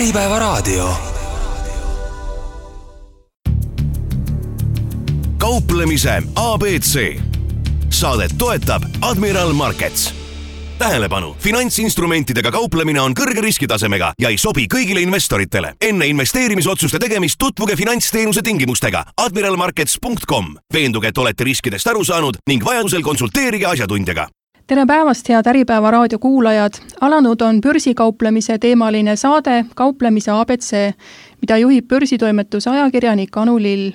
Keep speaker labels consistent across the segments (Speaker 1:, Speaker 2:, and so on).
Speaker 1: Äripäevaraadio. Kauplemise ABC. Saadet toetab Admiral Markets. Tähelepanu, finantsinstrumentidega kauplemine on kõrge riskitasemega ja ei sobi kõigile investoritele. Enne investeerimisotsuste tegemist tutvuge finantsteenuse tingimustega admiralmarkets.com. Veenduge, et olete riskidest aru saanud ning vajadusel konsulteerige asjatundjaga.
Speaker 2: Tere päevast, head Äripäeva raadio kuulajad! Alanud on börsikauplemise teemaline saade Kauplemise ABC, mida juhib börsitoimetuse ajakirjanik Anu Lill.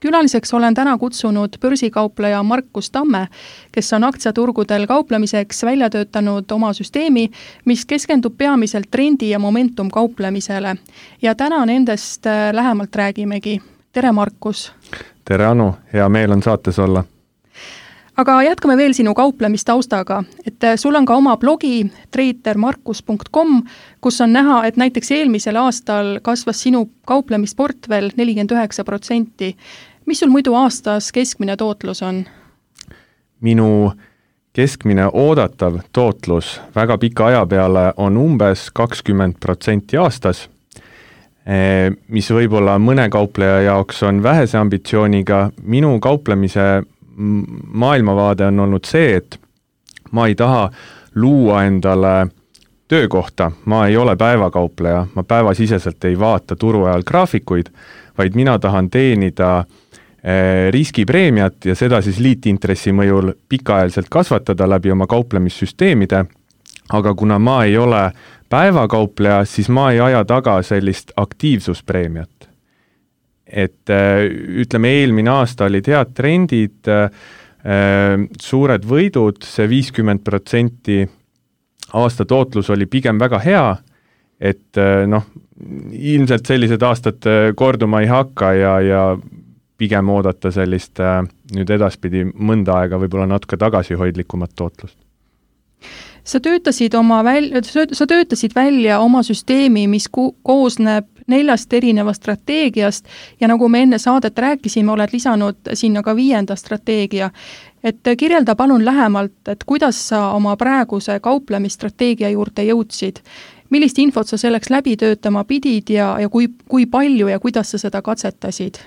Speaker 2: Külaliseks olen täna kutsunud börsikaupleja Markus Tamme, kes on aktsiaturgudel kauplemiseks välja töötanud oma süsteemi, mis keskendub peamiselt trendi ja momentum kauplemisele. Ja täna nendest lähemalt räägimegi. Tere, Markus!
Speaker 3: Tere, Anu! Hea meel on saates olla.
Speaker 2: Aga jätkame veel sinu kauplemistaustaga, et sul on ka oma blogi tradermarkus.com, kus on näha, et näiteks eelmisel aastal kasvas sinu kauplemisportvel 49%. Mis sul muidu aastas keskmine tootlus on?
Speaker 3: Minu keskmine oodatav tootlus väga pika aja peale on umbes 20% aastas, mis võib-olla mõne kaupleja jaoks on vähese ambitsiooniga. Minu kauplemise maailmavaade on olnud see, et ma ei taha luua endale töökohta, ma ei ole päevakaupleja, ma päevasiseselt ei vaata turu ajal graafikuid, vaid mina tahan teenida riskipreemiat ja seda siis liitintressi mõjul pikaajaliselt kasvatada läbi oma kauplemissüsteemide, aga kuna ma ei ole päevakaupleja, siis ma ei aja taga sellist aktiivsuspreemiat. Et ütleme, eelmine aasta olid head trendid, suured võidud, see 50% aasta tootlus oli pigem väga hea, et ilmselt sellised aastad korduma ei hakka ja pigem oodata sellist nüüd edaspidi mõnda aega võib-olla natuke tagasihoidlikumat tootlust.
Speaker 2: Sa töötasid välja oma süsteemi, mis koosneb 4 erinevast strateegiast ja nagu me enne saadet rääkisime, oled lisanud sinna ka 5. strateegia. Et kirjelda palun lähemalt, et kuidas sa oma praeguse kauplemisstrateegia juurde jõudsid. Millist infot sa selleks läbi töötama pidid ja kui palju ja kuidas sa seda katsetasid?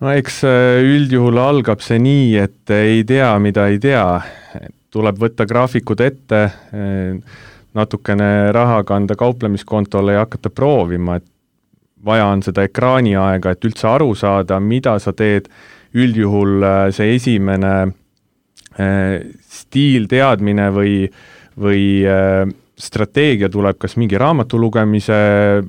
Speaker 3: No eks üldjuhul algab see nii, et ei tea, mida ei tea. Tuleb võtta graafikud ette, natukene raha kanda kauplemiskontole ja hakata proovima, et vaja on seda ekraani aega, et üldse aru saada, mida sa teed. Üldjuhul see esimene stiil teadmine või strateegia tuleb kas mingi raamatu lugemise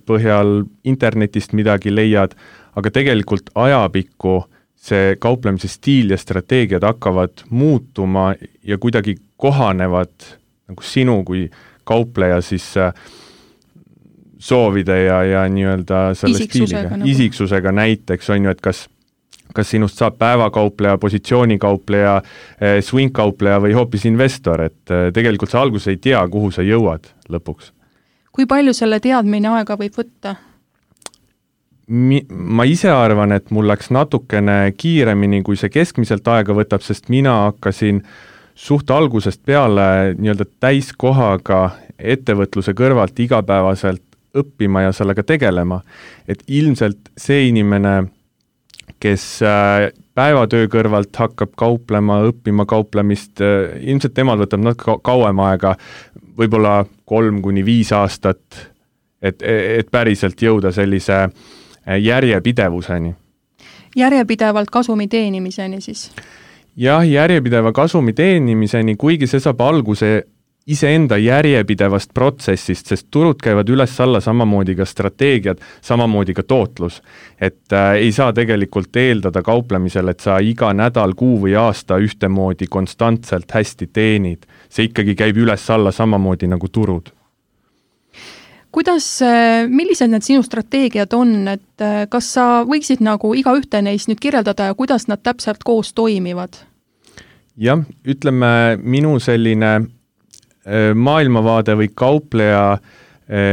Speaker 3: põhjal, internetist midagi leiad, aga tegelikult ajapikku see kauplemise stiil ja strateegiad hakkavad muutuma ja kuidagi kohanevad nagu sinu kui kaupleja siis soovide ja nii-öelda selle stiiliga. Isiksusega näiteks on ju, et kas sinust saab päevakaupleja, positsioonikaupleja, swing-kaupleja või hoopis investor, et tegelikult sa alguses ei tea, kuhu sa jõuad lõpuks.
Speaker 2: Kui palju selle teadmine aega võib võtta?
Speaker 3: Ma ise arvan, et mul läks natukene kiiremini, kui see keskmiselt aega võtab, sest mina hakkasin suht algusest peale nii-öelda täiskohaga ettevõtluse kõrvalt igapäevaselt õppima ja sellega tegelema. Et ilmselt see inimene, kes päevatöö kõrvalt hakkab kauplema, õppima kauplemist, ilmselt temal võtab natuke kauem aega, võib-olla 3-5 aastat, et päriselt jõuda sellise järjepidevuseni.
Speaker 2: Järjepidevalt kasumi teenimiseni siis?
Speaker 3: Jah, järjepideva kasumi teenimiseni, kuigi see saab alguse iseenda järjepidevast protsessist, sest turud käivad üles-alla samamoodi ka strateegiad, samamoodi ka tootlus. Et ei saa tegelikult eeldada kauplemisel, et sa iga nädal, kuu või aasta ühtemoodi konstantselt hästi teenid. See ikkagi käib üles-alla samamoodi nagu turud.
Speaker 2: Millised need sinu strateegiad on, et kas sa võiksid nagu iga ühte neist nüüd kirjeldada ja kuidas nad täpselt koos toimivad?
Speaker 3: Jah, ütleme, minu selline maailmavaade või kaupleja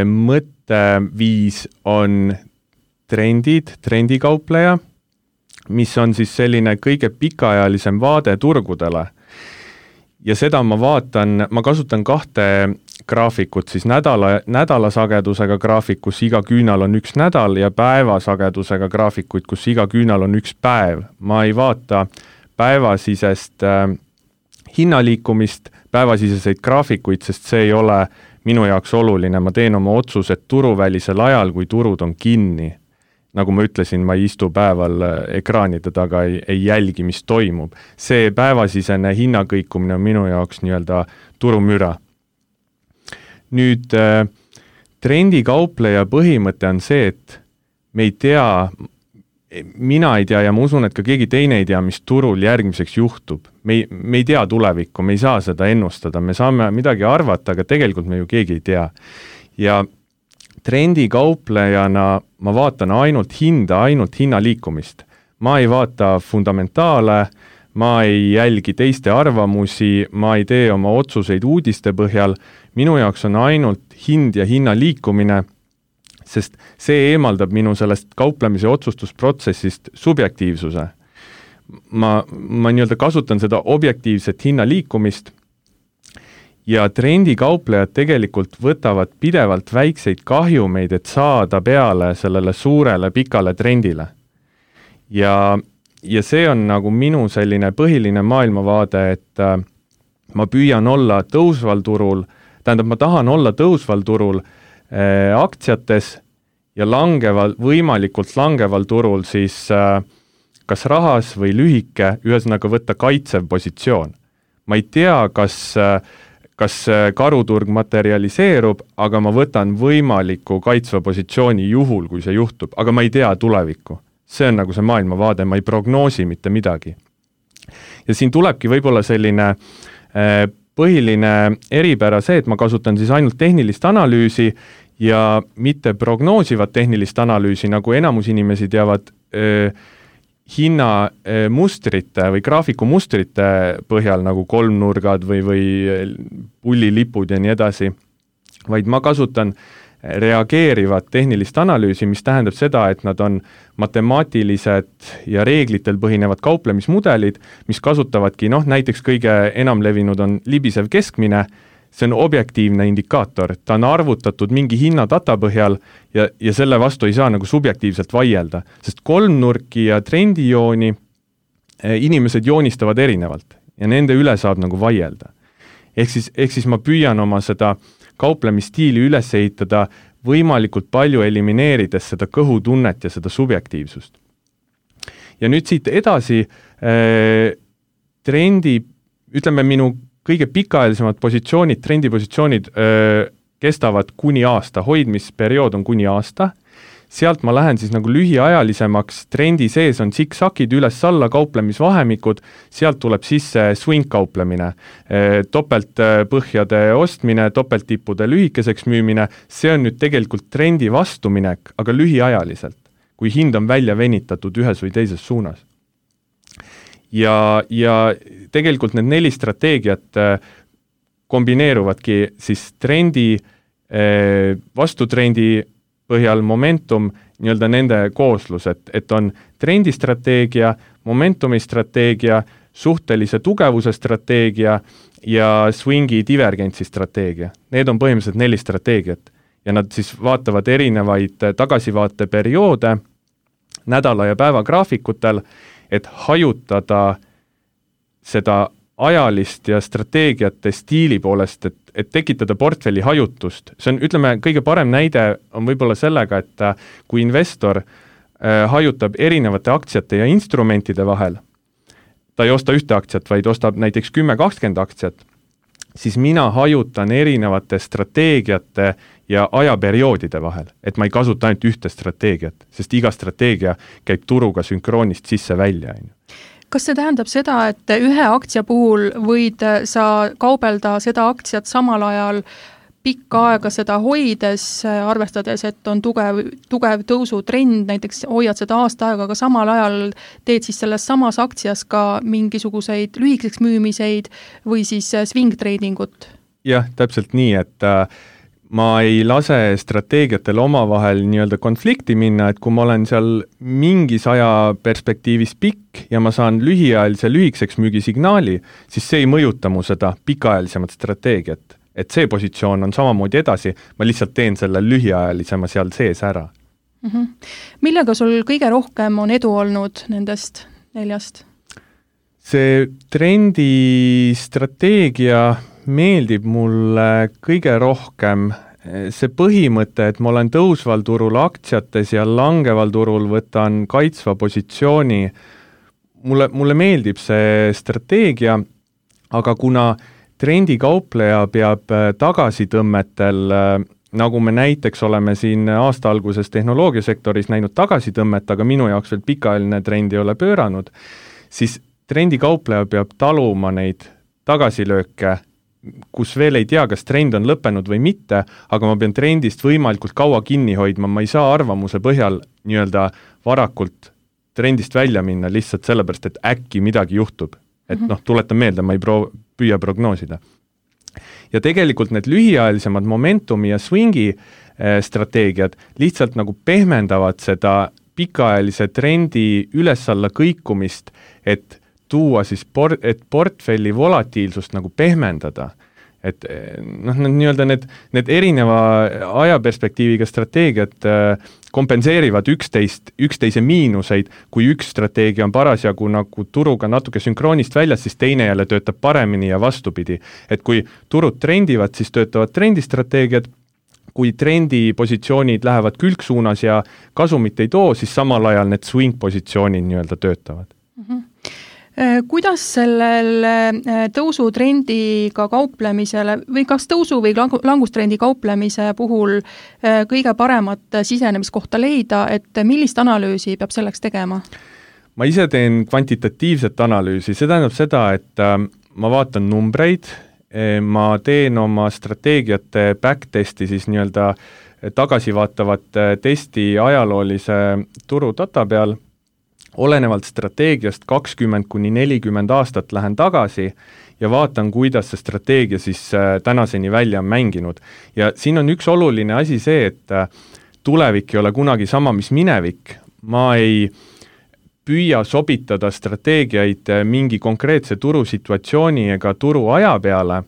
Speaker 3: mõtteviis on trendikaupleja, mis on siis selline kõige pikaajalisem vaade turgudele. Ja seda ma kasutan 2 graafikut siis nädalasagedusega graafik, kus iga küünal on üks nädal ja päevasagedusega graafikuid, kus iga küünal on üks päev. Ma ei vaata päevasisest hinnaliikumist, päevasiseseid graafikuid, sest see ei ole minu jaoks oluline. Ma teen oma otsused turuvälisel ajal, kui turud on kinni. Nagu ma ütlesin, ma ei istu päeval ekraanide taga, ei jälgi, mis toimub. See päevasisene hinnakõikumine on minu jaoks nii-öelda turumüra. Nüüd trendikaupleja põhimõte on see, et me ei tea, mina ei tea ja ma usun, et ka keegi teine ei tea, mis turul järgmiseks juhtub. Me ei tea tulevikku, me ei saa seda ennustada, me saame midagi arvata, aga tegelikult me ju keegi ei tea. Ja trendikauplejana ma vaatan ainult hinnaliikumist. Ma ei vaata fundamentaale, ma ei jälgi teiste arvamusi, ma ei tee oma otsuseid uudiste põhjal. Minu jaoks on ainult hind ja hinnaliikumine, sest see eemaldab minu sellest kauplemise otsustusprotsessist subjektiivsuse. Ma nii-öelda kasutan seda objektiivset hinnaliikumist ja trendikauplejad tegelikult võtavad pidevalt väikseid kahjumeid, et saada peale sellele suurele pikale trendile. Ja see on nagu minu selline põhiline maailmavaade, et ma püüan olla tõusval turul, ma tahan olla tõusval turul aktsiates ja võimalikult langeval turul siis kas rahas või lühike, ühesõnaga võtta kaitsev positsioon. Ma ei tea, kas karuturg materialiseerub, aga ma võtan võimaliku kaitsva positsiooni juhul, kui see juhtub, aga ma ei tea tulevikku. See on nagu see maailmavaade, ma ei prognoosi mitte midagi. Ja siin tulebki võib-olla selline põhiline eripära see, et ma kasutan siis ainult tehnilist analüüsi ja mitte prognoosivat tehnilist analüüsi, nagu enamus inimesi teavad hinnamustrite või graafikumustrite põhjal, nagu kolmnurgad või pullilipud ja nii edasi, vaid ma kasutan reageerivat tehnilist analüüsi, mis tähendab seda, et nad on matemaatilised ja reeglitel põhinevad kauplemismudelid, mis kasutavadki, näiteks kõige enam levinud on libisev keskmine, see on objektiivne indikaator, ta on arvutatud mingi hinnadata põhjal ja selle vastu ei saa nagu subjektiivselt vaielda, sest kolmnurki ja trendijooni inimesed joonistavad erinevalt ja nende üle saab nagu vaielda. Ehk siis ma püüan oma seda kauplemisstiili üles ehitada võimalikult palju elimineerides seda kõhutunnet ja seda subjektiivsust. Ja nüüd siit edasi ütleme minu kõige pikaajalisemad positsioonid, trendipositsioonid kestavad kuni aasta, hoidmisperiood on kuni aasta. Sealt ma lähen siis nagu lühiajalisemaks, trendi sees on siksakid üles-alla kauplemisvahemikud, sealt tuleb sisse swing kauplemine, topeltpõhjade ostmine, topelttippude lühikeseks müümine, see on nüüd tegelikult trendi vastuminek, aga lühiajaliselt, kui hind on välja venitatud ühes või teises suunas. Ja tegelikult need 4 strateegiat kombineeruvadki siis trendi, vastutrendi põhjal momentum, nii-öelda nende kooslus, et on trendistrateegia, momentumi strateegia, suhtelise tugevuse strateegia ja swingi divergentsi strateegia. Need on põhimõtteliselt 4 strateegiat ja nad siis vaatavad erinevaid tagasivaateperioode nädala ja päeva graafikutel, et hajutada seda ajalist ja strateegiate stiili poolest, et tekitada portfelli hajutust. See on, ütleme, kõige parem näide on võib-olla sellega, et kui investor hajutab erinevate aktsiate ja instrumentide vahel, ta ei osta ühte aktsiat, vaid ostab näiteks 10-20 aktsiat, siis mina hajutan erinevate strateegiate ja ajaperioodide vahel, et ma ei kasuta ainult ühte strateegiat, sest iga strateegia käib turuga sünkroonist sisse-välja.
Speaker 2: Kas see tähendab seda, et ühe aktsia puhul võid sa kaubelda seda aktsiat samal ajal pikka aega seda hoides, arvestades, et on tugev tõusutrend, näiteks hoiad seda aasta aega, aga samal ajal teed siis selles samas aktsias ka mingisuguseid lühikeseks müümiseid või siis swing tradingut?
Speaker 3: Jah, täpselt nii, et ma ei lase strateegiatel omavahel nii-öelda konflikti minna, et kui ma olen seal mingis aja perspektiivis pikk ja ma saan lühiajalise lühikeseks müügisignaali, siis see ei mõjuta mu seda pikaajalisemat strateegiat. et see positsioon on samamoodi edasi, ma lihtsalt teen selle lühiajalisema seal sees ära.
Speaker 2: Millega sul kõige rohkem on edu olnud nendest 4?
Speaker 3: See trendistrateegia meeldib mulle kõige rohkem. See põhimõte, et ma olen tõusval turul aktsiates ja langeval turul võtan kaitsva positsiooni, mulle meeldib see strateegia, aga kuna trendikaupleja peab tagasitõmmetel, nagu me näiteks oleme siin aasta alguses tehnoloogiasektoris näinud tagasitõmmet, aga minu jaoks veel pikaajaline trend ei ole pööranud, siis trendikaupleja peab taluma neid tagasilööke, kus veel ei tea, kas trend on lõppenud või mitte, aga ma pean trendist võimalikult kaua kinni hoidma, ma ei saa arvamuse põhjal nii-öelda varakult trendist välja minna lihtsalt sellepärast, et äkki midagi juhtub. Et tuletan meelde, ma ei püüa prognoosida. Ja tegelikult need lühiajalisemad momentumi ja swingi strateegiad lihtsalt nagu pehmendavad seda pikaajalise trendi üles-alla kõikumist, et tuua siis et portfelli volatiilsust nagu pehmendada. Et nii-öelda need erineva ajaperspektiiviga strateegiad kompenseerivad üksteise miinuseid, kui üks strateegia on parasjagu nagu turuga natuke sünkroonist väljas, siis teine jälle töötab paremini ja vastupidi. Et kui turud trendivad, siis töötavad trendistrateegiad, kui trendipositsioonid lähevad külgsuunas ja kasumit ei too, siis samal ajal need swing-positsioonid nii-öelda töötavad.
Speaker 2: Kuidas sellel tõusutrendiga kauplemisele või kas tõusu- või langustrendi kauplemise puhul kõige paremat sisenemiskohta leida, et millist analüüsi peab selleks tegema?
Speaker 3: Ma ise teen kvantitatiivset analüüsi, see tähendab seda, et ma vaatan numbreid, ma teen oma strateegiate backtesti siis nii-öelda tagasivaatavat testi ajaloolise turudata peal, olenevalt strateegiast 20–40 aastat lähen tagasi ja vaatan, kuidas see strateegia siis tänaseni välja on mänginud. Ja siin on üks oluline asi see, et tulevik ei ole kunagi sama, mis minevik. Ma ei püüa sobitada strateegiaid mingi konkreetse turusituatsiooni ega turu aja peale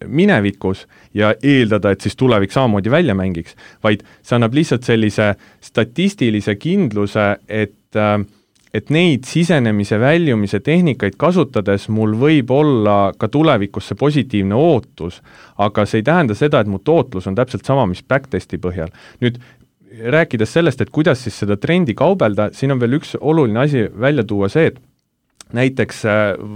Speaker 3: minevikus ja eeldada, et siis tulevik samamoodi välja mängiks, vaid see annab lihtsalt sellise statistilise kindluse, et neid sisenemise väljumise tehnikaid kasutades mul võib olla ka tulevikusse positiivne ootus, aga see ei tähenda seda, et mu tootlus on täpselt sama, mis backtesti põhjal. Nüüd rääkides sellest, et kuidas siis seda trendi kaubelda, siin on veel üks oluline asi välja tuua see, et näiteks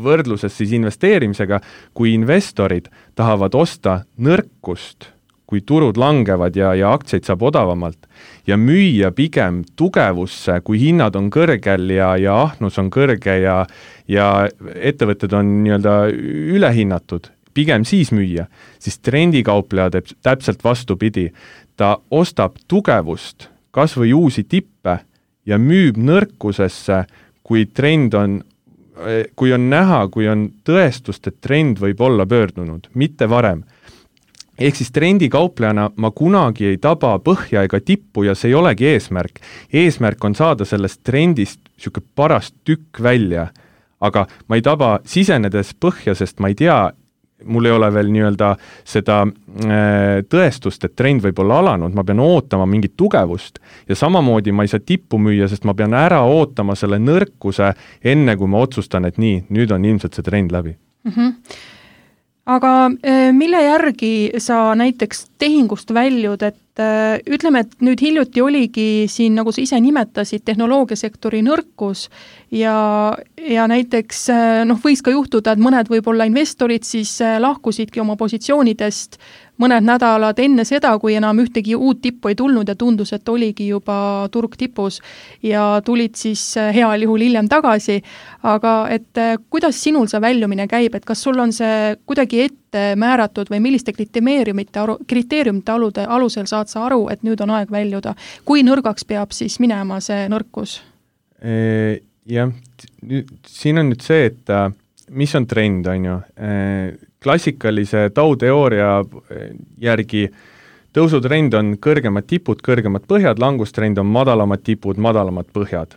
Speaker 3: võrdluses siis investeerimisega, kui investorid tahavad osta nõrkust, kui turud langevad ja aktsiaid saab odavamalt ja müüa pigem tugevusse, kui hinnad on kõrgel ja ahnus on kõrge ja ettevõtted on nii-öelda ülehinnatud, pigem siis müüa, siis trendikaupleja teeb täpselt vastupidi. Ta ostab tugevust, kas või uusi tippe ja müüb nõrkusesse, kui on näha, kui on tõestust, et trend võib olla pöördunud, mitte varem. Ehk siis trendikauplejana ma kunagi ei taba põhja ega tippu ja see ei olegi eesmärk. Eesmärk on saada sellest trendist siuke parast tükk välja, aga ma ei taba sisenedes põhja, sest ma ei tea, mul ei ole veel nii-öelda seda tõestust, et trend võib olla alanud, ma pean ootama mingit tugevust ja samamoodi ma ei saa tippu müüa, sest ma pean ära ootama selle nõrkuse enne, kui ma otsustan, et nii, nüüd on ilmselt see trend läbi.
Speaker 2: Aga mille järgi sa näiteks tehingust väljud, et ütleme, et nüüd hiljuti oligi siin, nagu sa ise nimetasid, tehnoloogiasektori nõrkus ja näiteks võis ka juhtuda, et mõned võib-olla investorid siis lahkusidki oma positsioonidest mõned nädalad enne seda, kui enam ühtegi uut tippu ei tulnud ja tundus, et oligi juba turg tipus ja tulid siis heal juhul hiljem tagasi. Aga et kuidas sinul see väljumine käib, et kas sul on see kuidagi ette määratud või milliste kriteeriumite alusel saad sa aru, et nüüd on aeg väljuda? Kui nõrgaks peab siis minema see nõrkus?
Speaker 3: Jah, siin on nüüd see, et mis on trend, on ju? Klassikalise tauteooria järgi tõusutrend on kõrgemad tipud, kõrgemad põhjad, langustrend on madalamad tipud, madalamad põhjad.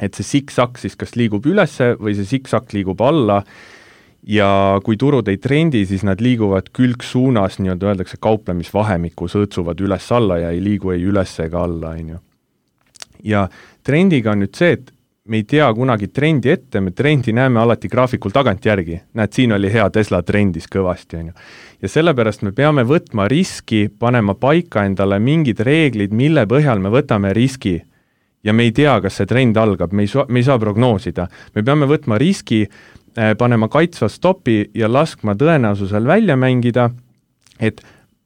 Speaker 3: Et see siksak siis kas liigub ülesse või see siksak liigub alla ja kui turud ei trendi, siis nad liiguvad külgsuunas, nii-öelda öeldakse kauplemisvahemikus, õõtsuvad üles-alla ja ei liigu ei üles ega alla, on ju. Ja trendiga on nüüd see, et me ei tea kunagi trendi ette, me trendi näeme alati graafikul tagant järgi. Näed, siin oli hea, Tesla trendis kõvasti, on ju. Ja sellepärast me peame võtma riski, panema paika endale mingid reeglid, mille põhjal me võtame riski. Ja me ei tea, kas see trend algab, me ei saa prognoosida. Me peame võtma riski, panema kaitsva stopi ja laskma tõenäosusel välja mängida, et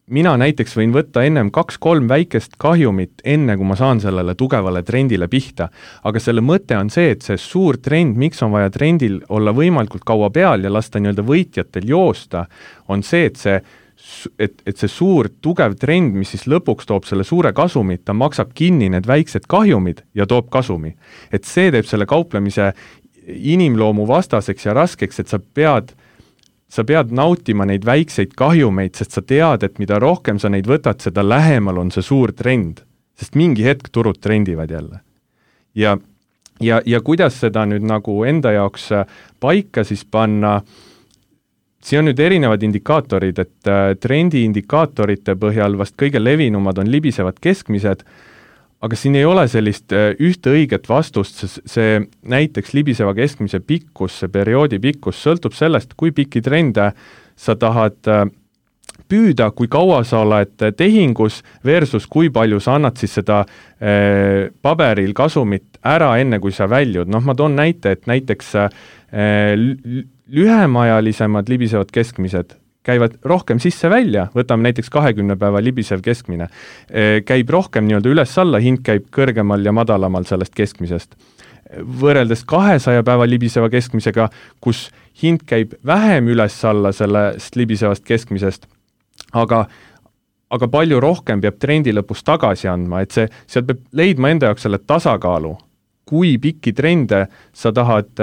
Speaker 3: mina näiteks võin võtta ennem 2-3 väikest kahjumit, enne kui ma saan sellele tugevale trendile pihta. Aga selle mõte on see, et see suur trend, miks on vaja trendil olla võimalikult kaua peal ja lasta nii-öelda võitjatel joosta, on see, et see suur tugev trend, mis siis lõpuks toob selle suure kasumit, ta maksab kinni need väiksed kahjumid ja toob kasumi. Et see teeb selle kauplemise inimloomu vastaseks ja raskeks, et sa pead nautima neid väikseid kahjumeid, sest sa tead, et mida rohkem sa neid võtad, seda lähemal on see suur trend. Sest mingi hetk turud trendivad jälle. Ja kuidas seda nüüd nagu enda jaoks paika siis panna, siin on nüüd erinevad indikaatorid, et trendi indikaatorite põhjal vast kõige levinumad on libisevad keskmised, aga siin ei ole sellist ühte õiget vastust, see näiteks libiseva keskmise pikkus, see perioodi pikkus sõltub sellest, kui pikki trende sa tahad püüda, kui kaua sa oled tehingus versus kui palju sa annad siis seda paberil kasumit ära enne, kui sa väljud. Noh, ma toon näite, et näiteks lühemajalisemad libisevad keskmised käivad rohkem sisse-välja, võtame näiteks 20 päeva libisev keskmine, käib rohkem nii-öelda üles-alla, hind käib kõrgemal ja madalamal sellest keskmisest. Võrreldes 200 päeva libiseva keskmisega, kus hind käib vähem üles-alla sellest libisevast keskmisest, aga palju rohkem peab trendi lõpus tagasi andma, et seal peab leidma enda jaoks selle tasakaalu, kui pikki trende sa tahad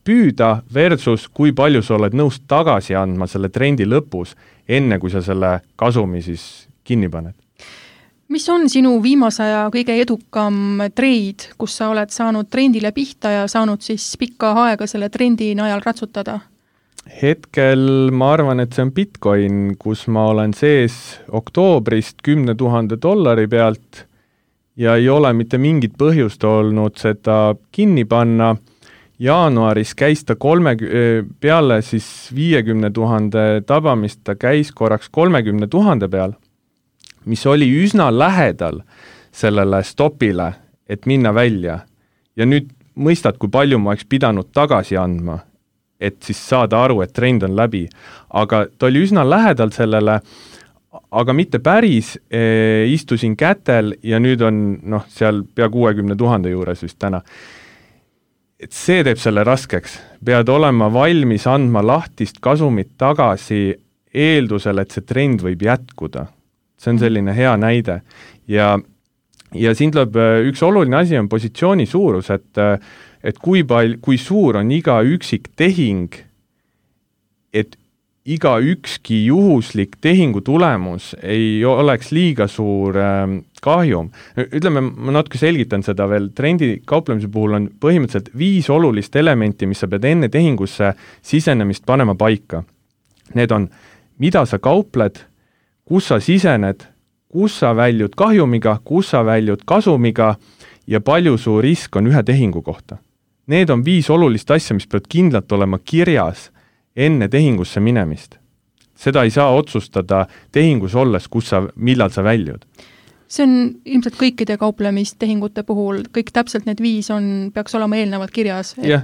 Speaker 3: püüda versus kui palju sa oled nõus tagasi andma selle trendi lõpus, enne kui sa selle kasumi siis kinni paned.
Speaker 2: Mis on sinu viimase aja kõige edukam treid, kus sa oled saanud trendile pihta ja saanud siis pikka aega selle trendi najal ratsutada?
Speaker 3: Hetkel ma arvan, et see on Bitcoin, kus ma olen sees oktoobrist $10,000 pealt ja ei ole mitte mingit põhjust olnud seda kinni panna. Jaanuaris käis ta peale siis 50,000 tabamist, ta käis korraks 30,000 peal, mis oli üsna lähedal sellele stopile, et minna välja. Ja nüüd mõistad, kui palju ma oleks pidanud tagasi andma, et siis saada aru, et trend on läbi. Aga ta oli üsna lähedal sellele, aga mitte päris, istusin kätel ja nüüd on seal pea 60,000 juures vist täna. Et see teeb selle raskeks. Pead olema valmis andma lahtist kasumit tagasi eeldusel, et see trend võib jätkuda. See on selline hea näide. Ja siin tuleb üks oluline asi on positsiooni suurus, et kui suur on iga üksik tehing, et iga ükski juhuslik tehingu tulemus ei oleks liiga suur kahjum. Ütleme, ma natuke selgitan seda veel, trendi kauplemise puhul on põhimõtteliselt 5 olulist elementi, mis sa pead enne tehingusse sisenemist panema paika. Need on, mida sa kaupled, kus sa sisened, kus sa väljud kahjumiga, kus sa väljud kasumiga ja palju su risk on ühe tehingu kohta. Need on 5 olulist asja, mis peavad kindlalt olema kirjas enne tehingusse minemist. Seda ei saa otsustada tehingus olles, millal sa väljud.
Speaker 2: See on ilmselt kõikide kauplemistehingute puhul, kõik täpselt need 5 peaks olema eelnevalt kirjas.
Speaker 3: Jah.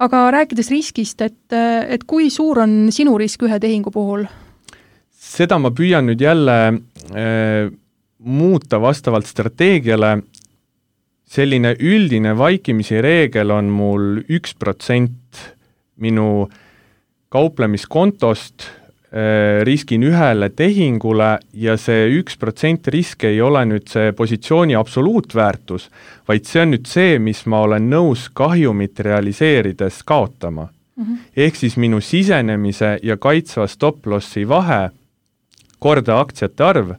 Speaker 2: Aga rääkides riskist, et kui suur on sinu risk ühe tehingu puhul?
Speaker 3: Seda ma püüan nüüd jälle muuta vastavalt strateegiale. Selline üldine vaikimisi reegel on mul 1% minu kauplemiskontost riskin ühele tehingule ja see 1% risk ei ole nüüd see positsiooni absoluutväärtus, vaid see on nüüd see, mis ma olen nõus kahjumit realiseerides kaotama. Ehk siis minu sisenemise ja kaitsva stop-lossi vahe korda aktsiate arv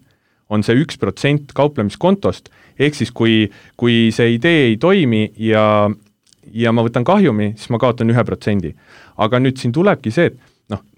Speaker 3: on see 1% kauplemiskontost, ehk siis kui see idee ei toimi ja ja ma võtan kahjumi, siis ma kaotan 1%. Aga nüüd siin tulebki see, et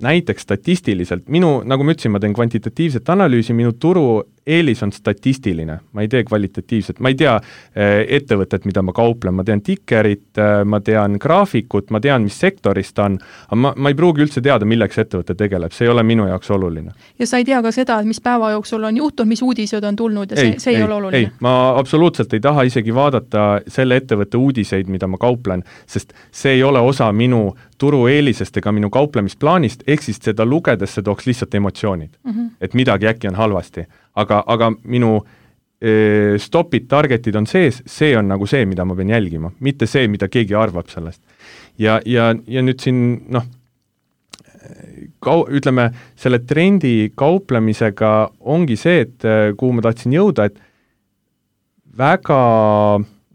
Speaker 3: näiteks statistiliselt, nagu ma ütlesin, ma teen kvantitatiivset analüüsi, minu turu eelis on statistiline, ma ei tee kvalitatiivset, ma ei tea ettevõtet, mida ma kauplen, ma tean tikerit, ma tean graafikut, ma tean, mis sektorist ta on, aga ma ei pruugi üldse teada, milleks ettevõte tegeleb, see ei ole minu jaoks oluline.
Speaker 2: Ja sa ei tea ka seda, mis päeva jooksul on juhtunud, mis uudised on tulnud ja see ei ole oluline?
Speaker 3: Ei, ma absoluutselt ei taha isegi vaadata selle ettevõtte uudiseid, mida ma kauplen, sest see ei ole osa minu turu eelisest ega minu kauplemisplaanist, ehk siis seda lugedes see tooks lihtsalt emotsioonid, et midagi äkki on halvasti. Aga minu stopid, targetid on sees, see on nagu see, mida ma pean jälgima, mitte see, mida keegi arvab sellest. Ja nüüd siin, ütleme, selle trendi kauplemisega ongi see, et kuhu ma tahtsin jõuda, et väga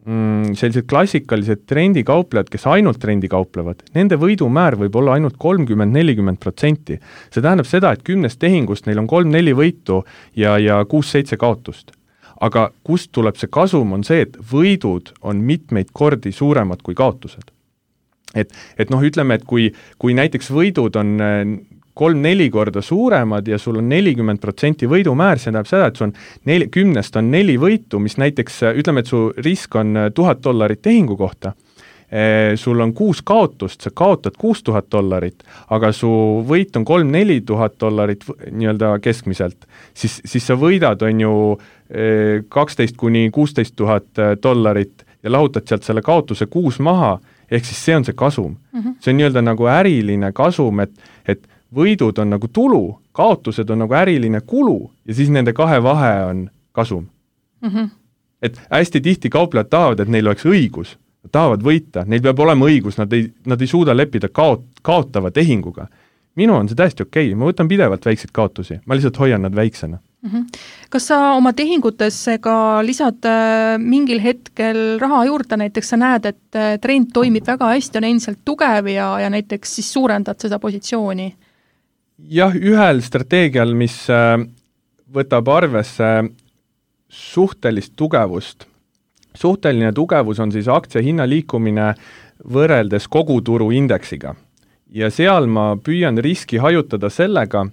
Speaker 3: sellised klassikalised trendikauplejad, kes ainult trendi kauplevad, nende võidumäär võib olla ainult 30-40%. See tähendab seda, et 10 tehingust neil on 3-4 võitu ja 6-7 kaotust. Aga kust tuleb see kasum on see, et võidud on mitmeid kordi suuremad kui kaotused. Et ütleme, et kui näiteks võidud on 3-4 korda suuremad ja sul on 40% võidumäär, see tähendab seda, et sul on 10 on 4 võitu, mis näiteks, ütleme, et su risk on $1000 tehingu kohta, sul on 6 kaotust, sa kaotad $6000, aga su võit on $3-4 nii-öelda keskmiselt, siis sa võidad on ju 12 kuni $16,000 ja lahutad sealt selle kaotuse 6 maha, ehk siis see on see kasum. See on nii-öelda nagu äriline kasum, et võidud on nagu tulu, kaotused on nagu äriline kulu ja siis nende kahe vahe on kasum. Et hästi tihti kauplejad tahavad, et neil oleks õigus, nad tahavad võita, neil peab olema õigus, nad ei suuda leppida kaotava tehinguga. Minu on see täiesti okei, ma võtan pidevalt väikseid kaotusi, ma lihtsalt hoian nad väiksena.
Speaker 2: Kas sa oma tehingutesse ka lisad mingil hetkel raha juurde, näiteks sa näed, et trend toimib väga hästi, on endiselt tugev ja näiteks siis suurendad seda positsiooni?
Speaker 3: Jah, ühel strateegial, mis võtab arvesse suhtelist tugevust. Suhteline tugevus on siis aktsia hinna liikumine võrreldes koguturu indeksiga. Ja seal ma püüan riski hajutada sellega,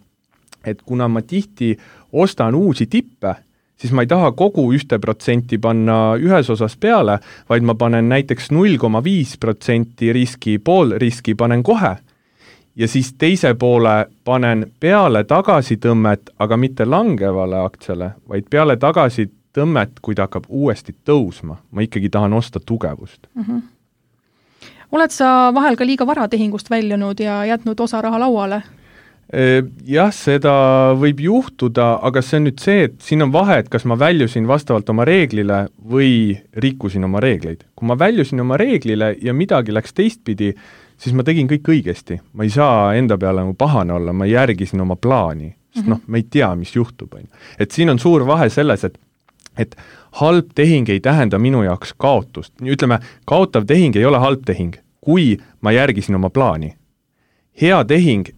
Speaker 3: et kuna ma tihti ostan uusi tippe, siis ma ei taha kogu 1% panna ühes osas peale, vaid ma panen näiteks 0,5% riski, pool riski panen kohe. Ja siis teise poole panen peale tagasitõmmet, aga mitte langevale aktsiale, vaid peale tagasitõmmet, kui ta hakkab uuesti tõusma. Ma ikkagi tahan osta tugevust.
Speaker 2: Oled sa vahel ka liiga vara tehingust väljunud ja jätnud osa raha lauale?
Speaker 3: Jah, seda võib juhtuda, aga see on nüüd see, et siin on vahe, et kas ma väljusin vastavalt oma reeglile või rikkusin oma reegleid. Kui ma väljusin oma reeglile ja midagi läks teistpidi, siis ma tegin kõik õigesti. Ma ei saa enda peale pahane olla, ma järgisin oma plaani. Sest ma ei tea, mis juhtub. Et siin on suur vahe selles, et halb tehing ei tähenda minu jaoks kaotust. Ütleme, kaotav tehing ei ole halb tehing, kui ma järgisin oma plaani. Hea tehing,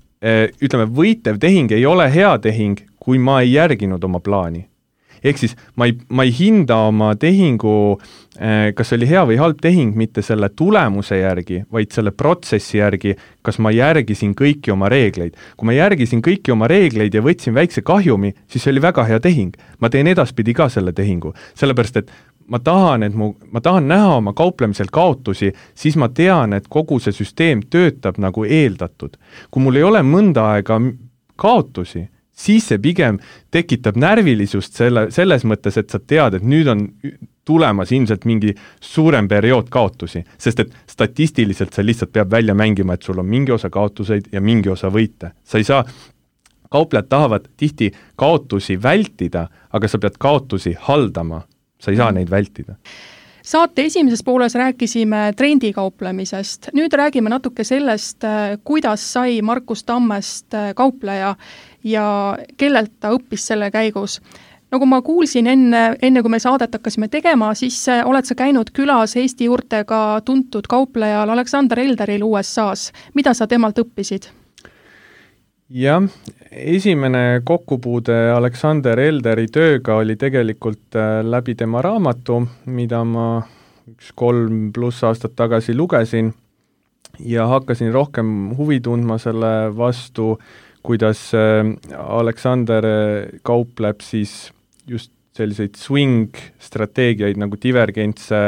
Speaker 3: ütleme, võitev tehing ei ole hea tehing, kui ma ei järginud oma plaani. Ehk siis ma ei hinda oma tehingu, kas oli hea või halb tehing, mitte selle tulemuse järgi, vaid selle protsessi järgi, kas ma järgisin kõiki oma reegleid. Kui ma järgisin kõiki oma reegleid ja võtsin väikse kahjumi, siis see oli väga hea tehing. Ma teen edaspidi ka selle tehingu, sellepärast et ma tahan näha oma kauplemisel kaotusi, siis ma tean, et kogu see süsteem töötab nagu eeldatud. Kui mul ei ole mõnda aega kaotusi, siis see pigem tekitab närvilisust selles mõttes, et sa tead, et nüüd on tulemas ilmselt mingi suurem periood kaotusi, sest et statistiliselt see lihtsalt peab välja mängima, et sul on mingi osa kaotuseid ja mingi osa võite. Sa ei saa, kauplejad tahavad tihti kaotusi vältida, aga sa pead kaotusi haldama, sa ei saa neid vältida.
Speaker 2: Saate esimeses pooles rääkisime trendikauplemisest. Nüüd räägime natuke sellest, kuidas sai Markus Tammest kaupleja ja kellelt ta õppis selle käigus. Nagu ma kuulsin enne kui me saadet hakkasime tegema, siis oled sa käinud külas Eesti juurtega tuntud kauplejal Alexander Elderil USA-s. Mida sa temalt õppisid?
Speaker 3: Jah, esimene kokkupuude Alexander Elderi tööga oli tegelikult läbi tema raamatu, mida ma 3+ aastat tagasi lugesin ja hakkasin rohkem huvi tundma selle vastu, kuidas Aleksander kaupleb siis just selliseid swing-strateegiaid nagu divergentse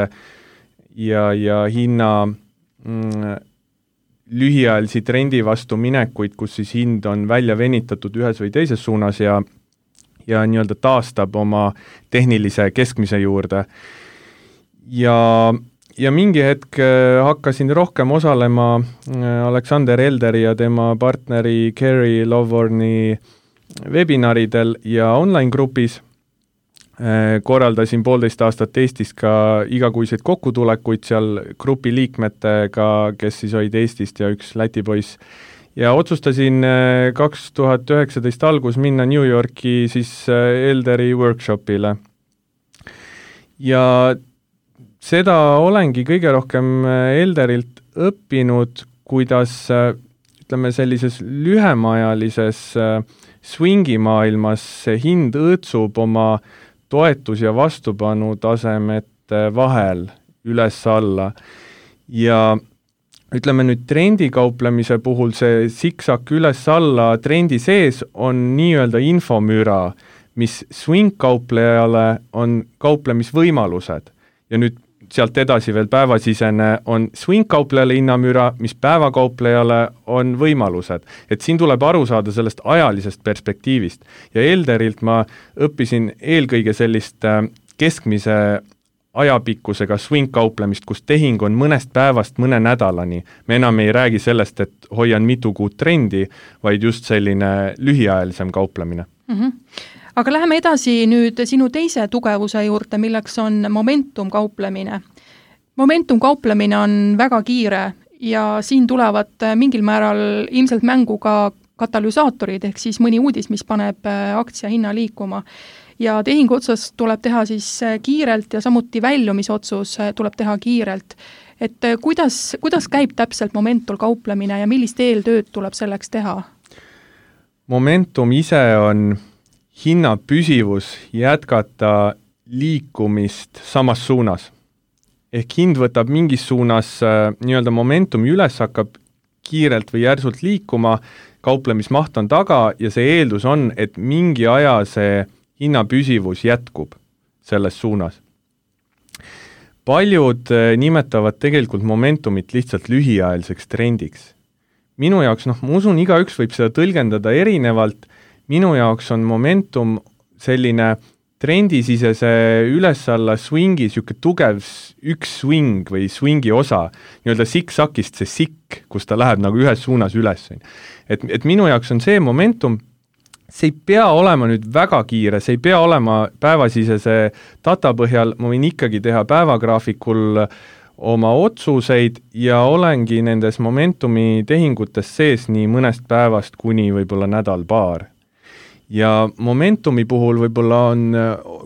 Speaker 3: ja hinna lühiajalisi trendi vastu minekuid, kus siis hind on välja venitatud ühes või teises suunas ja nii-öelda taastab oma tehnilise keskmise juurde. Ja mingi hetk hakkasin rohkem osalema Alexander Elderi ja tema partneri Kerry Lovorni webinaridel ja online-grupis. Korraldasin 1,5 aastat Eestis ka igakuiseid kokkutulekuid seal grupi liikmetega, kes siis olid Eestist ja üks Läti poiss. Ja otsustasin 2019 algus minna New Yorki siis Elderi workshopile. Ja seda olengi kõige rohkem Elderilt õppinud, kuidas ütleme sellises lühemaajalises swingi maailmas see hind õõtsub oma toetus- ja vastupanu tasemete vahel üles-alla. Ja ütleme nüüd trendikauplemise puhul see siksak üles-alla trendi sees on nii-öelda infomüra, mis swing-kauplejale on kauplemisvõimalused. Ja nüüd sealt edasi veel päevasisene on swing-kauplejale hinnamüra, mis päevakauplejale on võimalused. Et siin tuleb aru saada sellest ajalisest perspektiivist. Ja Elderilt ma õppisin eelkõige sellist keskmise ajapikkusega swing-kauplemist, kus tehing on mõnest päevast mõne nädalani. Me enam ei räägi sellest, et hoian mitu kuud trendi, vaid just selline lühiajalisem kauplemine.
Speaker 2: Aga läheme edasi nüüd sinu teise tugevuse juurde, milleks on momentum kauplemine. Momentum kauplemine on väga kiire ja siin tulevad mingil määral ilmselt mängu ka katalüsaatorid, ehk siis mõni uudis, mis paneb aktsia hinna liikuma. Ja tehingu otsas tuleb teha siis kiirelt ja samuti väljumisotsus tuleb teha kiirelt. Et kuidas käib täpselt momentul kauplemine ja millist eeltööd tuleb selleks teha?
Speaker 3: Momentum ise on hinna püsivus jätkata liikumist samas suunas. Ehk hind võtab mingis suunas nii-öelda momentumi üles, hakkab kiirelt või järsult liikuma, kauplemismaht on taga ja see eeldus on, et mingi aja see hinna püsivus jätkub selles suunas. Paljud nimetavad tegelikult momentumit lihtsalt lühiajaliseks trendiks. Minu jaoks, ma usun, igaüks võib seda tõlgendada erinevalt. Minu jaoks on momentum selline trendisisese üles-alla swingi, siuke tugev üks swing või swingi osa, nii-öelda siksakist see sikk, kus ta läheb nagu ühes suunas üles. Et minu jaoks on see momentum, see ei pea olema nüüd väga kiire, see ei pea olema päevasisese data põhjal, ma võin ikkagi teha päevagraafikul oma otsuseid ja olengi nendes momentumi tehingutes sees nii mõnest päevast kuni võib-olla nädal-paar. Ja momentumi puhul võib-olla on,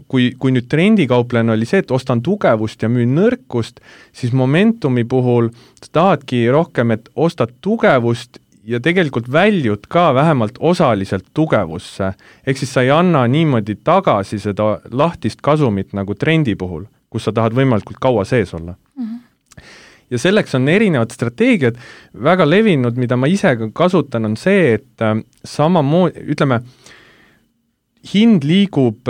Speaker 3: kui nüüd trendikauplejana oli see, et ostan tugevust ja müün nõrkust, siis momentumi puhul tahadki rohkem, et ostad tugevust ja tegelikult väljud ka vähemalt osaliselt tugevusse. Ehk siis sa ei anna niimoodi tagasi seda lahtist kasumit nagu trendi puhul, kus sa tahad võimalikult kaua sees olla. Ja selleks on erinevad strateegiad. Väga levinud, mida ma ise kasutan, on see, et samamoodi, ütleme, hind liigub,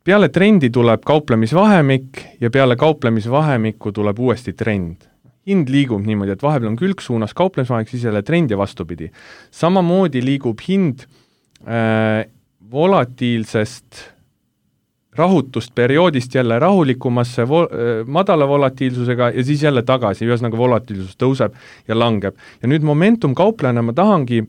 Speaker 3: peale trendi tuleb kauplemisvahemik ja peale kauplemisvahemikku tuleb uuesti trend. Hind liigub niimoodi, et vahepeal on külgsuunas kauplemisvahemik, siis jälle trend ja vastupidi. Samamoodi liigub hind volatiilsest rahutust perioodist jälle rahulikumasse madala volatiilsusega ja siis jälle tagasi, ühesõnaga volatiilsus tõuseb ja langeb. Ja nüüd momentum kauplejana ma tahangi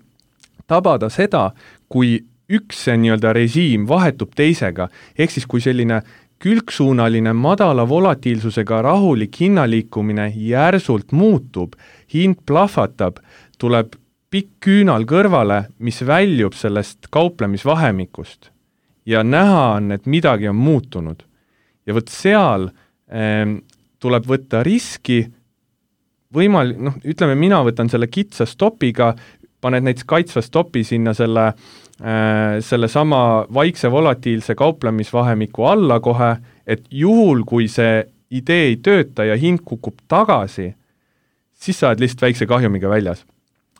Speaker 3: tabada seda, kui üks nii-öelda režiim vahetub teisega, ehk siis kui selline külgsuunaline madala volatiilsusega rahulik hinnaliikumine järsult muutub, hind plahvatab, tuleb pikk küünal kõrvale, mis väljub sellest kauplemisvahemikust ja näha on, et midagi on muutunud. Ja võt seal tuleb võtta riski, ütleme, mina võtan selle kitsa stopiga, paned näiteks kaitsva stopi sinna selle sama vaikse volatiilse kauplemisvahemiku alla kohe, et juhul, kui see idee ei tööta ja hind kukub tagasi, siis sa oled lihtsalt väikse kahjumiga väljas.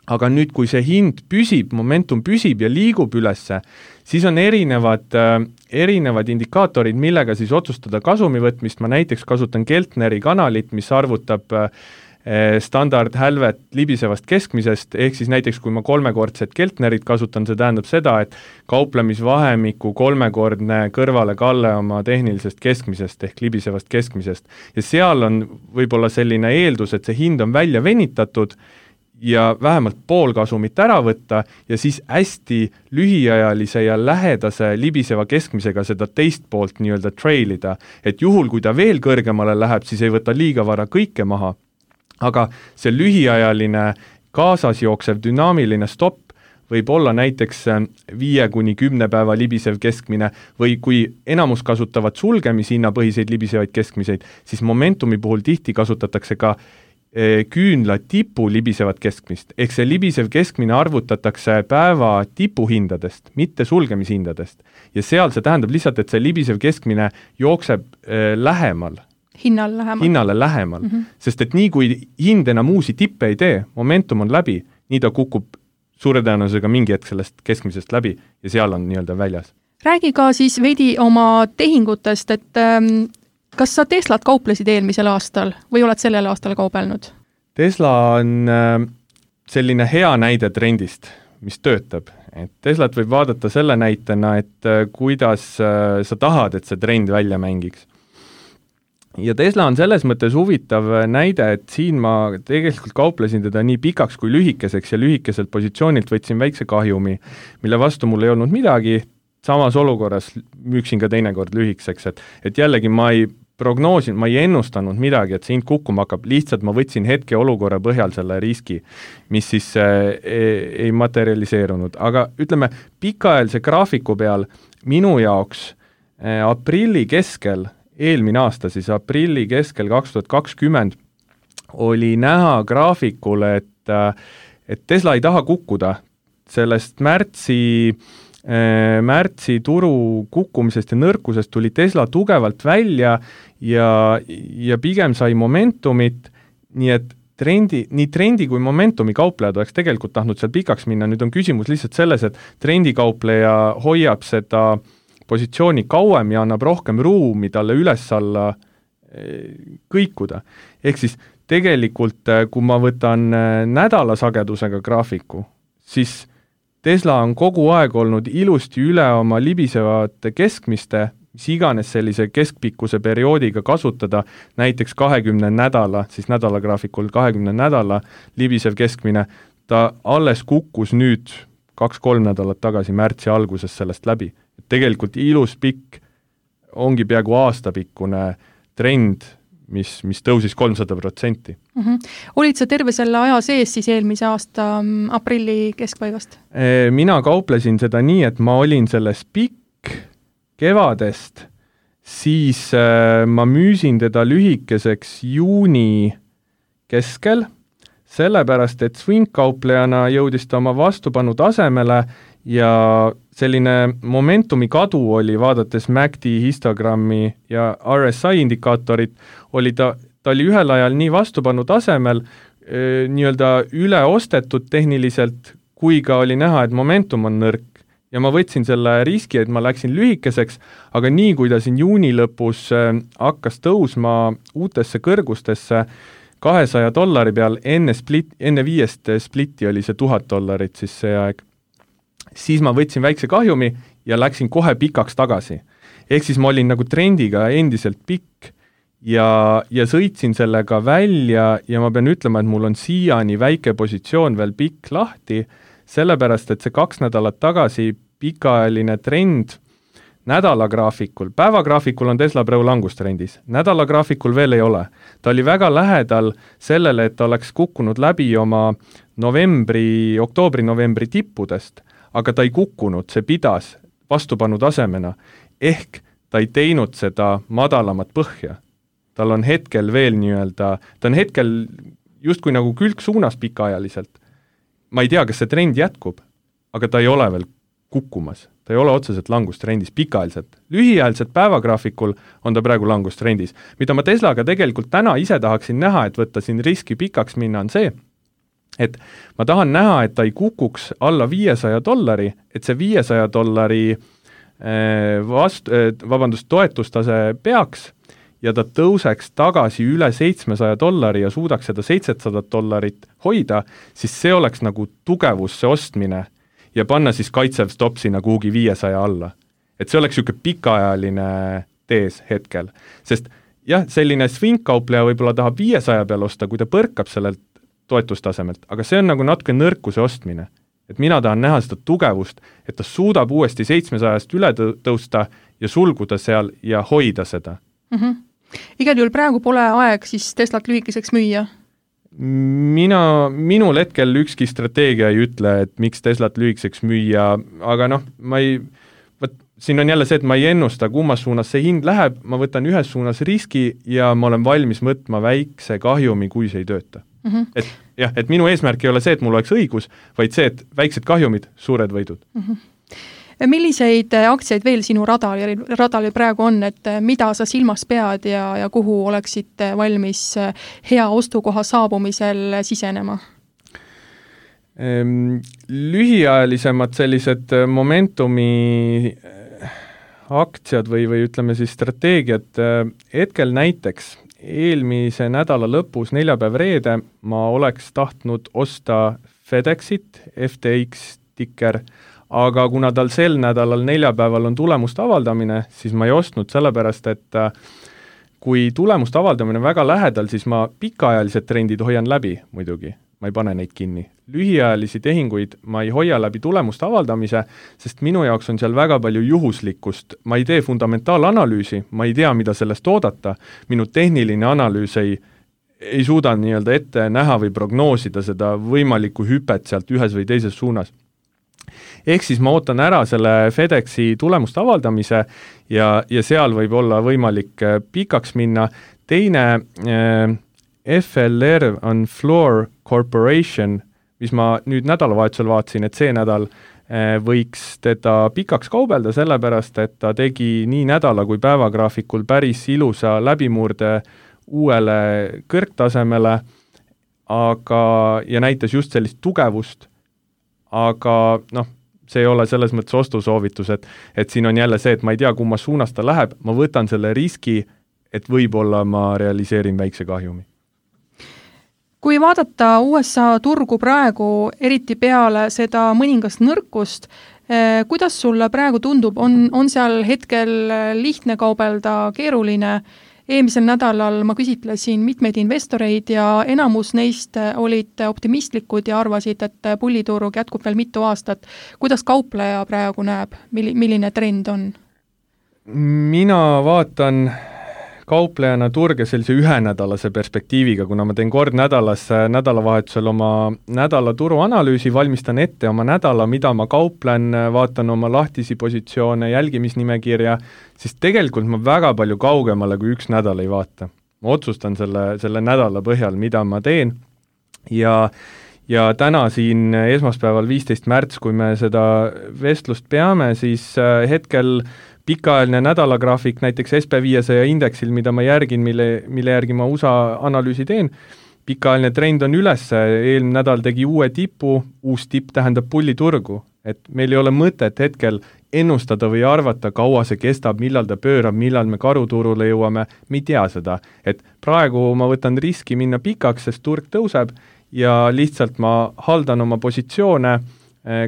Speaker 3: Aga nüüd, kui see hind püsib, momentum püsib ja liigub ülesse, siis on erinevad indikaatorid, millega siis otsustada kasumi võtmist. Ma näiteks kasutan Keltneri kanalit, mis arvutab standardhälvet libisevast keskmisest, ehk siis näiteks kui ma 3-kordset Keltnerit kasutan, see tähendab seda, et kauplemisvahemiku 3-kordne kõrvalekalle oma tehnilisest keskmisest ehk libisevast keskmisest. Ja seal on võib-olla selline eeldus, et see hind on välja venitatud ja vähemalt pool kasumit ära võtta ja siis hästi lühiajalise ja lähedase libiseva keskmisega seda teist poolt nii-öelda trailida, et juhul, kui ta veel kõrgemale läheb, siis ei võta liiga vara kõike maha. Aga see lühiajaline kaasas jooksev dünaamiline stopp võib olla näiteks 5-10 päeva libisev keskmine või kui enamus kasutavad sulgemishinnapõhiseid libisevaid keskmiseid, siis momentumi puhul tihti kasutatakse ka küünla tipu libisevat keskmist. Ehk see libisev keskmine arvutatakse päeva tipuhindadest, mitte sulgemishindadest. Ja seal see tähendab lihtsalt, et see libisev keskmine jookseb lähemal. Hinnale lähemal. Sest et nii kui hind enam uusi tippe ei tee, momentum on läbi, nii ta kukub suure tõenäosusega mingi hetk sellest keskmisest läbi ja seal on nii-öelda väljas.
Speaker 2: Räägi ka siis veidi oma tehingutest, et kas sa Teslat kauplesid eelmisel aastal või oled sellel aastal kaubelnud?
Speaker 3: Tesla on selline hea näide trendist, mis töötab. Et Teslat võib vaadata selle näitena, et kuidas sa tahad, et see trend välja mängiks. Ja Tesla on selles mõttes huvitav näide, et siin ma tegelikult kauplesin teda nii pikaks kui lühikeseks ja lühikeselt positsioonilt võtsin väikse kahjumi, mille vastu mul ei olnud midagi, samas olukorras müüksin ka teinekord lühikeseks, et jällegi ma ei ennustanud midagi, et see hind kukkuma hakkab, lihtsalt ma võtsin hetke olukorra põhjal selle riski, mis siis ei materialiseerunud. Aga ütleme, pikaajalise graafiku peal minu jaoks aprilli keskel, eelmine aasta siis aprilli keskel 2020 oli näha graafikul, et Tesla ei taha kukkuda sellest märtsi turu kukkumisest ja nõrkusest tuli Tesla tugevalt välja ja pigem sai momentumit, nii et nii trendi kui momentumi kauplejad oleks tegelikult tahtnud seal pikaks minna, nüüd on küsimus lihtsalt selles, et trendikaupleja hoiab seda positsiooni kauem ja annab rohkem ruumi talle üles-alla kõikuda. Ehk siis tegelikult, kui ma võtan nädalasagedusega graafiku, siis Tesla on kogu aeg olnud ilusti üle oma libisevate keskmiste, mis iganes sellise keskpikkuse perioodiga kasutada, näiteks 20 nädala, siis nädalagraafikul 20 nädala libisev keskmine, ta alles kukkus nüüd 2-3 nädalat tagasi märtsi alguses sellest läbi. Tegelikult ilus pikk ongi peaaegu aastapikkune trend, mis tõusis 300%.
Speaker 2: Olid sa terve selle aja sees siis eelmise aasta aprilli keskpaigast?
Speaker 3: Mina kauplesin seda nii, et ma olin selles pikk kevadest, siis ma müüsin teda lühikeseks juuni keskel, sellepärast, et swing-kauplejana jõudis ta oma vastupanu tasemele ja selline momentumi kadu oli, vaadates MACD histogrammi ja RSI indikaatorit, ta oli ühel ajal nii vastupanu tasemel, nii-öelda üle ostetud tehniliselt, kui ka oli näha, et momentum on nõrk. Ja ma võtsin selle riski, et ma läksin lühikeseks, aga nii kui ta siin juuni lõpus hakkas tõusma uutesse kõrgustesse, $200 peal, enne 5 splitti oli see $1000 siis see aeg. Siis ma võtsin väikse kahjumi ja läksin kohe pikaks tagasi. Ehk siis ma olin nagu trendiga endiselt pikk ja sõitsin sellega välja ja ma pean ütlema, et mul on siiani väike positsioon veel pikk lahti, sellepärast, et see 2 nädalat tagasi pikaajaline trend nädalagraafikul, päevagraafikul on Tesla praegu langustrendis, nädalagraafikul veel ei ole. Ta oli väga lähedal sellele, et ta oleks kukkunud läbi oma oktoobri-novembri tippudest, aga ta ei kukkunud, see pidas vastupanu tasemena, ehk ta ei teinud seda madalamat põhja. Tal on hetkel veel nii-öelda, ta on hetkel justkui nagu külgsuunas pikaajaliselt. Ma ei tea, kas see trend jätkub, aga ta ei ole veel kukkumas, ta ei ole otseselt langustrendis pikaajaliselt. Lühiajaliselt päevagraafikul on ta praegu langustrendis. Mida ma Teslaga tegelikult täna ise tahaksin näha, et võtta siin riski pikaks minna, on see, et ma tahan näha, et ta ei kukuks alla $500, et see $500 toetustase peaks ja ta tõuseks tagasi üle $700 ja suudaks seda $700 hoida, siis see oleks nagu tugevusse ostmine ja panna siis kaitsev stopp sinna kuhugi 500 alla. Et see oleks niisugune pikaajaline tees hetkel. Sest jah, selline swing-kaupleja võib-olla tahab 500 peal osta, kui ta põrkab sellelt toetustasemelt, aga see on nagu natuke nõrkuse ostmine. Et mina tahan näha seda tugevust, et ta suudab uuesti 700-st üle tõusta ja sulguda seal ja hoida seda.
Speaker 2: Igal juhul praegu pole aeg siis Teslat lühikeseks müüa?
Speaker 3: Minul hetkel ükski strateegia ei ütle, et miks Teslat lühikeseks müüa, aga siin on jälle see, et ma ei ennusta, kummas suunas see hind läheb, ma võtan ühes suunas riski ja ma olen valmis võtma väikse kahjumi, kui see ei tööta. Et minu eesmärk ei ole see, et mul oleks õigus, vaid see, et väiksed kahjumid, suured võidud.
Speaker 2: Milliseid aktsiaid veel sinu radalil praegu on, et mida sa silmas pead ja kuhu oleksid valmis hea ostukoha saabumisel sisenema?
Speaker 3: Lühiajalisemad sellised momentumi aktsiad või ütleme siis strateegiad hetkel näiteks eelmise nädala lõpus, neljapäev-reede, ma oleks tahtnud osta FedExit, FTX ticker, aga kuna tal sel nädalal neljapäeval on tulemuste avaldamine, siis ma ei ostnud sellepärast, et kui tulemuste avaldamine on väga lähedal, siis ma pikaajalised trendid hoian läbi muidugi, ma ei pane neid kinni. Lühiajalisi tehinguid ma ei hoia läbi tulemuste avaldamise, sest minu jaoks on seal väga palju juhuslikkust. Ma ei tee fundamentaalanalüüsi, ma ei tea, mida sellest oodata. Minu tehniline analüüs ei suuda nii-öelda ette näha või prognoosida seda võimalikku hüpet sealt ühes või teises suunas. Ehk siis ma ootan ära selle FedExi tulemuste avaldamise ja seal võib olla võimalik pikaks minna. Teine FLR on Floor Corporation, mis ma nüüd nädalavahetusel vaatasin, et see nädal võiks teda pikaks kaubelda, sellepärast, et ta tegi nii nädala kui päevagraafikul päris ilusa läbimurde uuele kõrgtasemele, ja näitas just sellist tugevust, aga see ei ole selles mõttes ostusoovitus, et siin on jälle see, et ma ei tea, kummas suunas ta läheb, ma võtan selle riski, et võib-olla ma realiseerin väikse kahjumi.
Speaker 2: Kui vaadata USA turgu praegu, eriti peale seda mõningast nõrkust, kuidas sulle praegu tundub, on seal hetkel lihtne kaubelda, keeruline? Eelmisel nädalal ma küsitlesin mitmeid investoreid ja enamus neist olid optimistlikud ja arvasid, et pulliturg jätkub veel mitu aastat. Kuidas kaupleja praegu näeb? Milline trend on?
Speaker 3: Mina vaatan kauplejana turge sellise ühenädalase perspektiiviga, kuna ma teen kord nädalavahetusel oma nädala turuanalüüsi, valmistan ette oma nädala, mida ma kauplen, vaatan oma lahtisi positsioone, jälgimisnimekirja, siis tegelikult ma väga palju kaugemale kui üks nädal ei vaata. Ma otsustan selle nädala põhjal, mida ma teen ja täna siin esmaspäeval 15. märts, kui me seda vestlust peame, siis hetkel pikaajaline nädalagraafik näiteks SP500 indeksil, mida ma järgin, mille järgi ma USA analüüsi teen, pikaajaline trend on üles, eelmine nädal tegi uue tipu, uus tipp tähendab pulliturgu, et meil ei ole mõtet hetkel ennustada või arvata, kaua see kestab, millal ta pöörab, millal me karuturule jõuame, me ei tea seda, et praegu ma võtan riski minna pikaks, sest turg tõuseb ja lihtsalt ma haldan oma positsioone,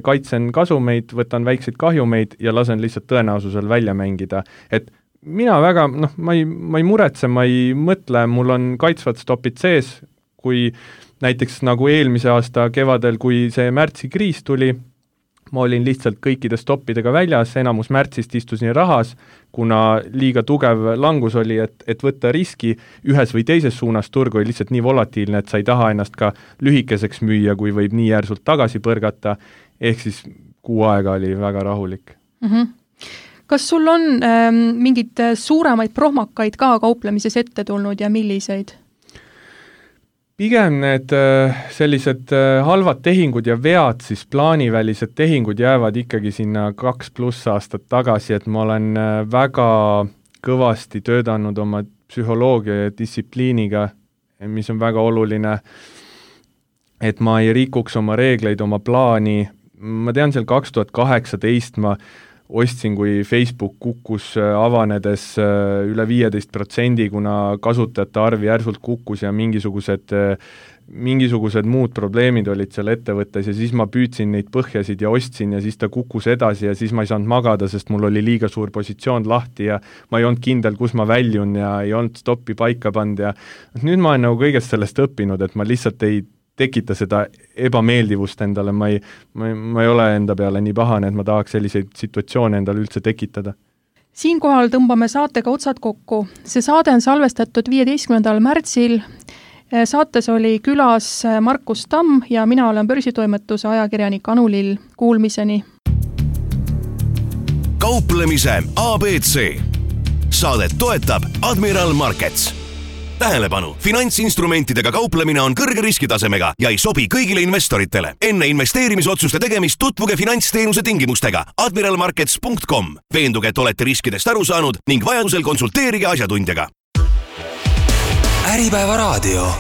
Speaker 3: kaitsen kasumeid, võtan väikseid kahjumeid ja lasen lihtsalt tõenäosusel välja mängida. Et mina väga, ma ei muretse, ma ei mõtle, mul on kaitsvad stopid sees, kui näiteks nagu eelmise aasta kevadel, kui see märtsikriis tuli, ma olin lihtsalt kõikide stoppidega väljas, enamus märtsist istusin rahas, kuna liiga tugev langus oli, et võtta riski ühes või teises suunas, turg oli lihtsalt nii volatiilne, et sa ei taha ennast ka lühikeseks müüa, kui võib nii järsult tagasi põrgata, ehk siis kuu aega oli väga rahulik.
Speaker 2: Kas sul on mingid suuremaid prohmakaid ka kauplemises ette tulnud ja milliseid?
Speaker 3: pigem need sellised halvad tehingud ja vead, siis plaanivälised tehingud jäävad ikkagi sinna 2+ aastat tagasi, et ma olen väga kõvasti töötanud oma psühholoogia ja distsipliiniga, mis on väga oluline, et ma ei rikuks oma reegleid, oma plaani. Ma tean, seal 2018 ma ostsin, kui Facebook kukkus avanedes üle 15%, kuna kasutajate arv järsult kukkus ja mingisugused muud probleemid olid seal ettevõttes ja siis ma püüdsin neid põhjasid ja ostsin ja siis ta kukkus edasi ja siis ma ei saanud magada, sest mul oli liiga suur positsioon lahti ja ma ei olnud kindel, kus ma väljun ja ei olnud stoppi paika pannud ja nüüd ma olen nagu kõigest sellest õppinud, et ma lihtsalt ei tekita seda ebameeldivust endale, ma ei ole enda peale nii pahane, et ma tahaks selliseid situatsioone endale üldse tekitada.
Speaker 2: Siinkohal tõmbame saatega otsad kokku. See saade on salvestatud 15. märtsil. Saates oli külas Markus Tamm ja mina olen börsitoimetuse ajakirjanik Anu Lill. Kuulmiseni.
Speaker 1: Kauplemise ABC. Saadet toetab Admiral Markets. Tähelepanu, finantsinstrumentidega kauplemine on kõrge riskitasemega ja ei sobi kõigile investoritele. Enne investeerimisotsuste tegemist tutvuge finantsteenuse tingimustega admiralmarkets.com. Veenduge, et olete riskidest aru saanud ning vajadusel konsulteerige asjatundjaga.
Speaker 4: Äripäeva raadio.